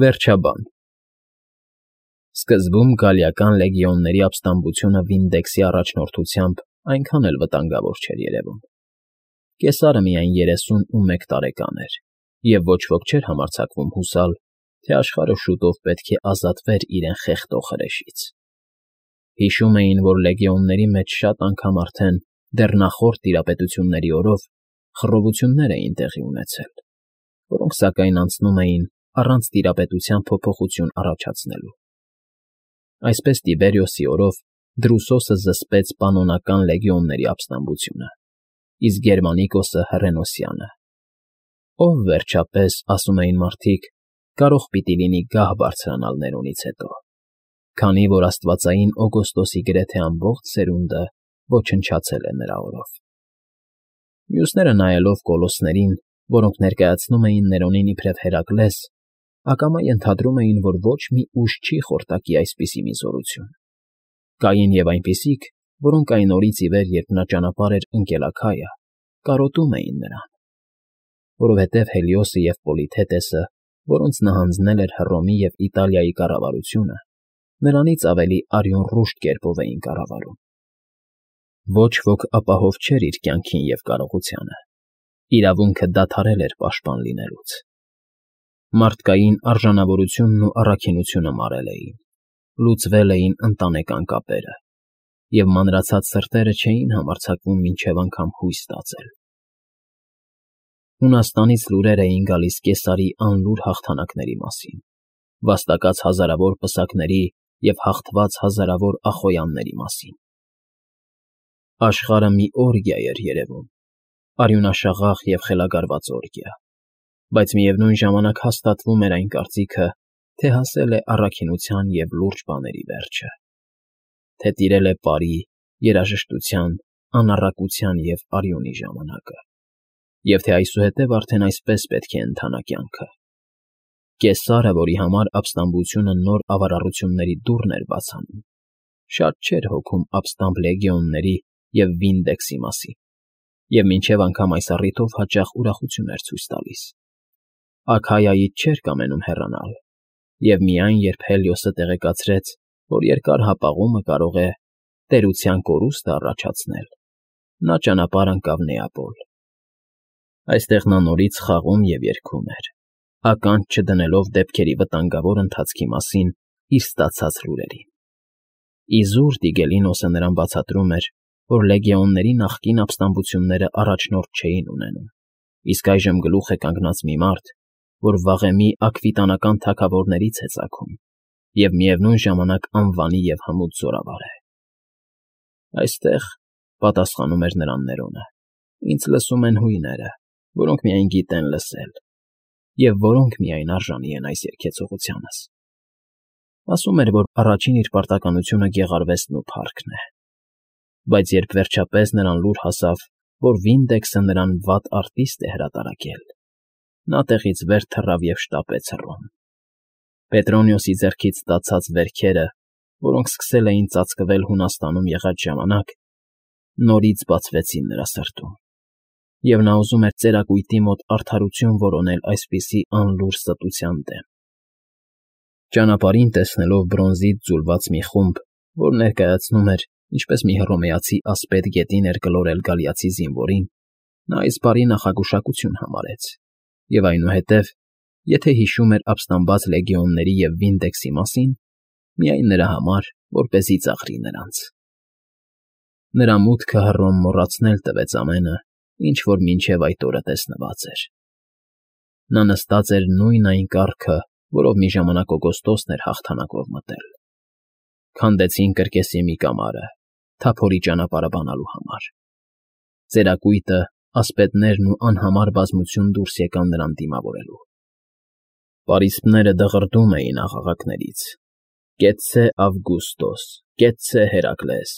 Վերջաբան Սկզբում գալիական լեգիոնների ապստամբությունը Վինդեքսի առաջնորդությամբ այնքան էլ վտանգավոր չէր երևում. Կեսարը միայն 31 տարեկան էր, և ոչ ոք չէր համարձակվում հուսալ, թե աշխարհը շուտով պետք է ազատվեր իրեն խեղդող հրեշից։ Հիշում էին, որ լեգիոնների մեջ շատ անգամ արդեն դեռ նախորդ տիրապետությունների օրով խռովություններ էին տեղի ունեցել, որոնք սակայն անցնում էին առանց տիրապետության փոփոխություն առաջացնելու։ Այսպես Տիբերիոսի օրով Դրուսոսը զսպեց պանոնական լեգիոնների ապստամբությունը, իսկ Գերմանիկոսը հռենոսյանը։ Ով վերջապես, ասում էին մարդիկ, կարող պիտի լինի գահ բարձրանալ Ներոնից հետո, քանի որ աստվածային Օգոստոսի գրեթե ամբողջ սերունդը ոչնչացել է նրա օրով։ Մյուսները նայելով կոլոսներին, որոնք ներկայացնում էին Ներոնին իբրև Հերակլես, ակամա ենթադրում էին, որ ոչ մի ուժ չի խորտակի այսպիսի մի զորություն։ Կային և այնպիսիք, որոնք այն օրից ի վեր, երբ նա ճանապարհ էր ընկել Աքայա, կարոտում էին նրան, որովհետև Հելիոսը և Պոլիթետեսը, որոնց նա հանձնել էր Հռոմի և Իտալիայի կառավարությունը, նրանից ավելի արյունռուշտ կերպով էին կառավարում։ Ոչ ոք ապահով չէր իր կյանքին և կարողությանը, իրավունքը դադարել էր պաշտպան լինելուց։ Մարդկային արժանավորությունն ու առաքինությունը մարել էին, լուծվել էին ընտանեկան կապերը, և մանրացած սրտերը չէին համարձակվում մինչև անգամ հույս ստացել։ Հունաստանից լուրեր էին գալիս Կեսարի անլուր հաղթանակների մասին, վաստակած հազարավոր պսակների և հաղթված հազարավոր Ախոյանների մասին։ Աշխարհը մի օրգիա էր երևում, արյունաշաղախ և խելագարված օրգիա, բայց միևնույն ժամանակ հաստատվում էր այն կարծիքը, թե հասել է առաքինության և լուրջ բաների վերջը, թե տիրել է պարի, երաժշտության, անառակության և արյունի ժամանակը, և թե այսուհետև արդեն այսպես պետք է ընթանա կյանքը։ Կեսարը, որի համար ապստամբությունը նոր ավարառությունների դուռն էր բաց անում, շատ չէր հոգում ապստամբ լեգիոնների և Վինդեքսի մասին, և մինչև անգամ այս առիթով հաճախ ուրախություն էր ցույց տալիս։ Աքայայից չէր կամենում հեռանալ, և միայն երբ Հելիոսը տեղեկացրեց, որ երկար հապաղումը կարող է տերության կորուստը առաջացնել, նա ճանապարհ ընկավ Նեապոլ։ Այստեղ նա նորից խաղում և երգում էր, ականջ չդնելով դեպքերի վտանգավոր ընթացքի մասին իր ստացած լուրերին։ Իզուր Տիգելինոսը նրան բացատրում էր, որ լեգիոնների նախկին ապստամբությունները առաջնորդ չէին ունենում, իսկ այժմ գլուխ է կանգնած մի մարդ, որ վաղեմի աքվիտանական թագավորներից է ծագում և միևնույն ժամանակ անվանի և հմուտ զորավար է։ Այստեղ, պատասխանում էր նրան Ներոնը, ինձ լսում են հույները, որոնք միայն գիտեն լսել, և որոնք միայն արժանի են այս երգեցողությանս։ Ասում էր, որ առաջին իր պարտականությունը գեղարվեստն ու փառքն է, բայց երբ վերջապես նրան լուր հասավ, որ Վինդեքսը նրան վատ արտիստ է հրատարակել, նա տեղից վեր թռավ և շտապեց Հռոմ։ Պետրոնիոսի ձեռքից ստացած վերքերը, որոնք սկսել էին ծածկվել Հունաստանում եղած ժամանակ, նորից բացվեցին նրա սրտում, և նա ուզում էր ծերակույտի մոտ արդարություն որոնել այսպիսի անլուր ստության դեմ։ Ճանապարհին տեսնելով բրոնզից ձուլված մի խումբ, որ ներկայացնում էր, ինչպես մի հռոմեացի ասպետ գետին էր գլորել գալիացի զինվորին, նա այս բարի նախագուշակություն համարեց, և այնուհետև, եթե հիշում էր ապստամբած լեգիոնների և Վինդեքսի մասին, միայն նրա համար, որպեսզի ծաղրի նրանց։ Նրա մուտքը Հռոմ մոռացնել տվեց ամենը, ինչ որ մինչև այդ օրը տեսնված էր։ Նա նստած էր նույն այն կառքը, որով մի ժամանակ Օգոստոսն էր հաղթանակով մտել։ Քանդեցին կրկեսի մի կամարը, թափորի ճանապարհը բանալու համար։ Ծերակույտը, ասպետներն ու անհամար բազմություն դուրս եկան նրան դիմավորելու։ Պարիսպները դղրդում էին աղաղակներից. «Կեցցե Ավգուստոս, կեցցե Հերակլես,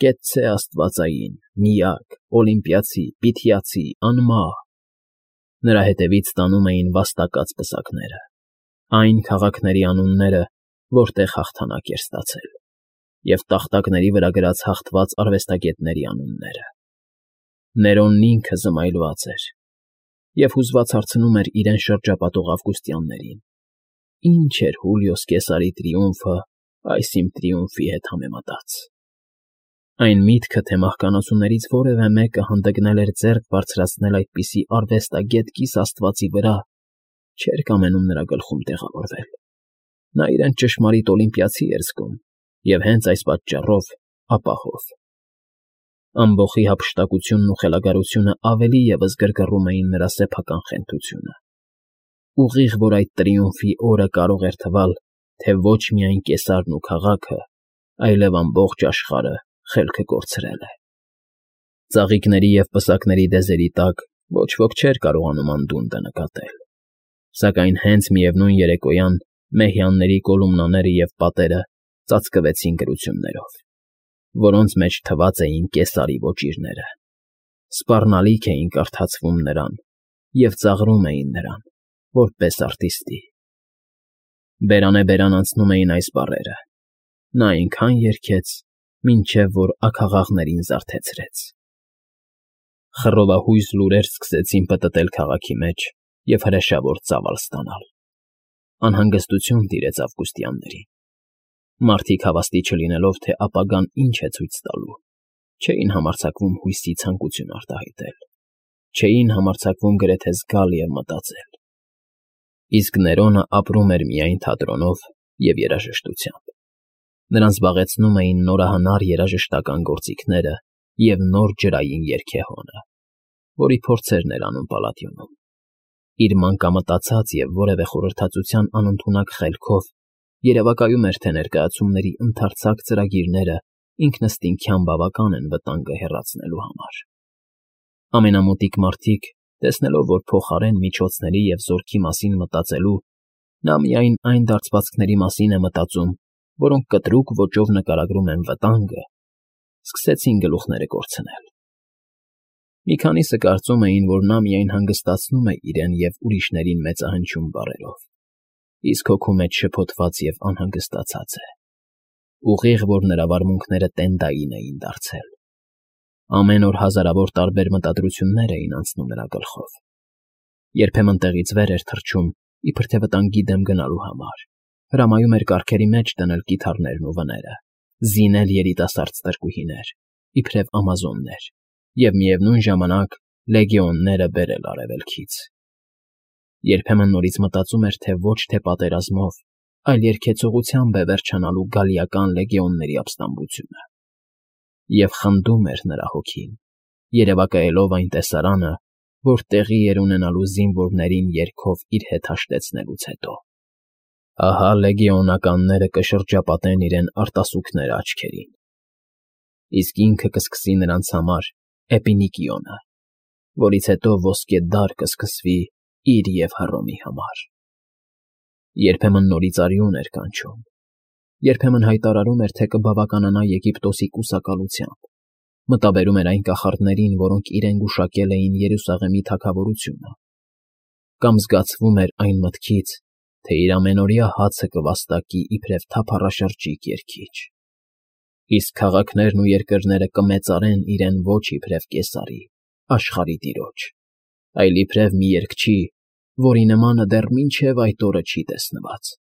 կեցցե աստվածային, միակ, օլիմպիացի, պիթիացի, անմահ»։ Նրա հետևից տանում էին վաստակած պսակները, այն քաղաքների անունները, որտեղ հաղթանակ էր ստացել, և տախտակների վրա գրած հաղթված արվեստագետների անունները։ Ներոնն ինքը զմայլված էր և հուզված հարցնում էր իրեն շրջապատող ավգուստյաններին. ինչ էր Հուլիոս Կեսարի տրիումֆը այս իմ տրիումֆի հետ համեմատած։ Այն միտքը, թե մահկանացուներից որևէ մեկը հանդգնել էր ձեռք բարձրացնել այդպիսի արվեստագետ կիս աստվածի վրա, չէր կամենում նրա գլխում տեղավորվել։ Նա իրեն ճշմարիտ օլիմպիացի էր զգում և հենց այս պատճառով ապահով։ Ամբոխի հափշտակությունն ու խելագարությունը ավելի ևս գրգռում էին նրա սեփական խենթությունը։ Ուղիղ, որ այդ տրիումֆի օրը կարող էր թվալ, թե ոչ միայն Կեսարն ու քաղաքը, այլև ամբողջ աշխարհը խելքը կորցրել է։ Ծաղիկների և պսակների դեզերի տակ ոչ ոք չէր կարողանում անդունդը նկատել, սակայն հենց միևնույն երեկոյան մեհյանների կոլումնաները և պատերը ծածկվեցին գրություններով, որոնց մեջ թված էին Կեսարի ոճիրները, սպառնալիք էին կարդացվում նրան և ծաղրում էին նրան, որպես արտիստի։ Բերանեբերան անցնում էին այս բառերը. նա այնքան երգեց, մինչև որ աքաղաղներին զարթեցրեց։ Խռովահույզ լուրեր սկսեցին պտտել քաղաքի մեջ և հրեշավոր ծավալ ստանալ։ Անհանգստություն տիրեց ավգուստյաններին։ Մարդիկ հավաստի չլինելով, թե ապագան ինչ է ցույց տալու, չէին համարձակվում հույսի ցանկություն արտահայտել, չէին համարձակվում գրեթե զգալ և մտածել։ Իսկ Ներոնը ապրում էր միայն թատրոնով և երաժշտությամբ։ Նրան զբաղեցնում էին նորահնար երաժշտական գործիքները և նոր ջրային երգեհոնը, որի փորձերն էր անում Պալադիոնում։ Իր մանկամտածած և որևէ խորհրդածության անընդունակ խելքով երևակայում էր, թե ներկայացումների ընդարձակ ծրագիրները ինքնըստինքյան բավական են վտանգը հեռացնելու համար։ Ամենամոտիկ մարդիկ, տեսնելով, որ փոխարեն միջոցների և զորքի մասին մտածելու, նա միայն այն դարձվածքների մասին է մտածում, որոնք կտրուկ ոճով նկարագրում են վտանգը, սկսեցին գլուխները կորցնել։ Մի քանիսը կարծում էին, որ նա միայն հանգստացնում է իրեն և ուրիշներին մեծահնչյուն բառերով, իսկ հոգու մեջ շփոթված և անհանգստացած է։ Ուղիղ, որ նրա վարմունքները տենդային էին դարձել։ Ամեն օր հազարավոր տարբեր մտադրություններ էին անցնում նրա գլխով։ Երբեմն տեղից վեր էր թռչում, իբր թե վտանգի դեմ գնալու համար, հրամայում էր կառքերի մեջ դնել կիթառներն ու վները, զինել երիտասարդ ստրկուհիներ, իբրև ամազոններ, և միևնույն ժամանակ լեգեոնները բերել արևելքից։ Երբեմն նորից մտածում էր, թե ոչ թե պատերազմով, այլ երգեցողությամբ է վերջանալու գալիական լեգեոնների ապստամբությունը։ Եվ խնդում էր նրա հոգին, երևակայելով այն տեսարանը, որ տեղի էր ունենալու զինվորներին երգով իր հետ հաշտեցնելուց հետո։ Ահա լեգեոնականները կշրջապատեն իրեն արտասուքներ աչքերին, իսկ ինքը կսկսի նրանց համար էպինիկիոնը, որից հետո ոսկե դար կսկսվի իր և Հռոմի համար։ Երբեմն նորից արյուն էր կանչում, երբեմն հայտարարում էր, թե կբավականանա Եգիպտոսի կուսակալությամբ, մտաբերում էր այն կախարդներին, որոնք իրեն գուշակել էին Երուսաղեմի թագավորությունը, կամ զգացվում էր այն մտքից, թե իր ամենօրյա հացը կվաստակի իբրև թափառաշրջիկ երգիչ, իսկ քաղաքներն ու երկրները կմեծարեն իրեն ոչ իբրև Կեսարի, աշխարհի տիրոջ, այլ իբրև մի երգչի, որի նմանը դեռ մինչև այդ օրը չի տեսնված։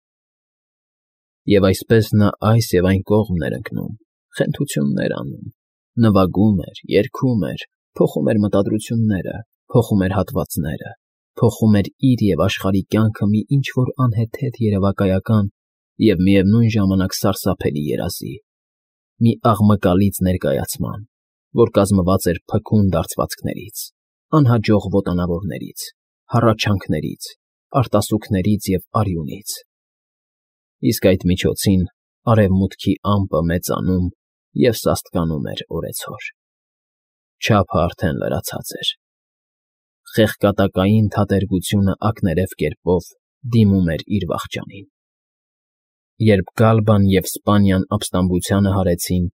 Եվ այսպես նա այս և այն կողմն էր ընկնում, խենթություններ անում, նվագում էր, երգում էր, փոխում էր մտադրությունները, փոխում էր հատվածները, փոխում էր իր և աշխարհի կյանքը մի ինչ֊որ անհեթեթ երևակայական և միևնույն ժամանակ սարսափելի երազի, մի աղմկալից ներկայացման, որ կազմված էր փքուն դարձվածքներից, անհաջող ոտանավորներից, հառաչանքներից, արտասուքներից և արյունից։ Իսկ այդ միջոցին արևմուտքի ամպը մեծանում և սաստկանում էր օրեցօր։ Չափը արդեն լրացած էր։ Խեղկատակային թատերգությունը ակներև կերպով դիմում էր իր վախճանին։ Երբ Գալբան և Սպանիան ապստամբությանը հարեցին,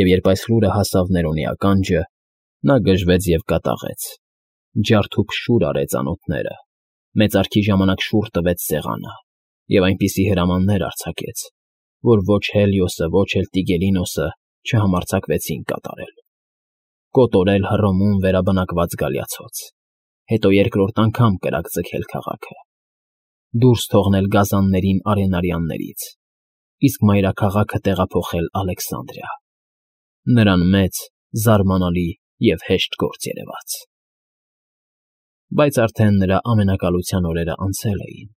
և երբ այս լուրը հասավ Ներոնի ականջը, նա գժվեց և կատաղեց, ջարդուփշուր արեց անոթները, մեծարքի ժամանակ շուռ տվեց սեղանը և այնպիսի հրամաններ արձակեց, որ ոչ Հելիոսը, ոչ էլ Տիգելինոսը չհամարձակվեցին կատարել։ Կոտորել Հռոմում վերաբնակված գալիացոց, հետո երկրորդ անգամ կրակ ձգել քաղաքը։ դուրս թողնել գազաններին արենարյաններից, իսկ մայրաքաղաքը տեղափոխել Ալեքսանդրիա. նրան մեծ, զարմանալի և հեշտ գործ երևաց։ Բայց արդեն նրա ամենակալության օրերն անցել էին,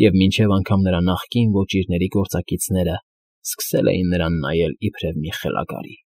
և մինչև անգամ նրա նախկին ոճիրների գործակիցներն սկսել էին նրան նայել իբրև մի խելագարի։